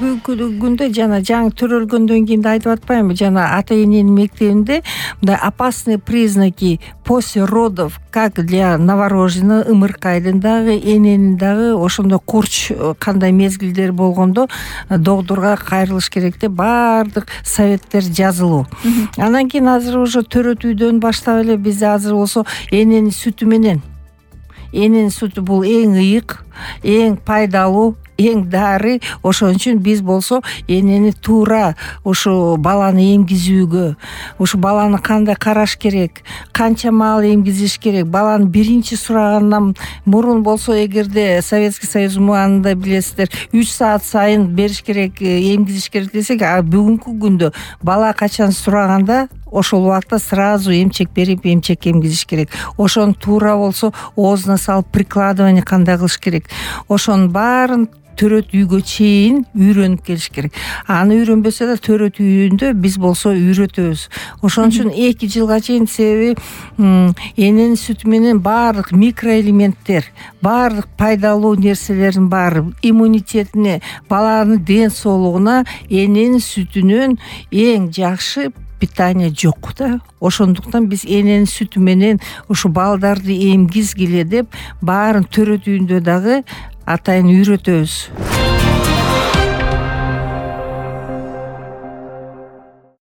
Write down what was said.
бүгүнкү күндө жана жаңы төрөлгөндөн кийин да айтып атпаймынбы, жана ата эненин мектебинде мындай опасные признаки после родов, как для новорожденного, ымыркайдын дагы, эненин дагы ошондо курч кандай мезгилдер болгондо докторго кайрылыш керек деп баардык советтер жазылуу. Андан кийин азыр уже төрөтүүдөн баштап эле бизде азыр болсо эненин сүтү менен, эненин сүтү бул эң ыйык, эң пайдалуу, эң дары. Ошон үчүн биз болсо энени туура ушу баланы эмгизүүгө, ушу баланы кандай караш керек, канча маал эмгизиш керек, баланы биринчи сурагандан мурун болсо эгерде Советский Союз убагында билесиздер 3 саат сайын бериш керек, эмгизиш керек десек, а бүгүнкү күндө бала качан сураганда ошол убакта сразу эмчек берип, эмчек эмгизиш керек. Ошону туура болсо оозуна салып прикладывание кандай кылыш керек, ошонун баарын төрөт үйгө чейин үйрөнүп келиш керек. Аны үйрөнбөсө да төрөт үйүндө биз болсо үйрөтөбүз. Ошон үчүн 2 жылга чейин, себеби эненин сүтү менен баардык микроэлементтер, баардык пайдалуу нерселердин баары иммунитетине, баланын ден соолугуна эненин сүтүнөн эң жакшы питание жок да. Ошондуктан биз эненин сүтү менен ушу балдарды эмгизгиле деп баарын төрөт үйүндө дагы атайын үйрөтөбүз.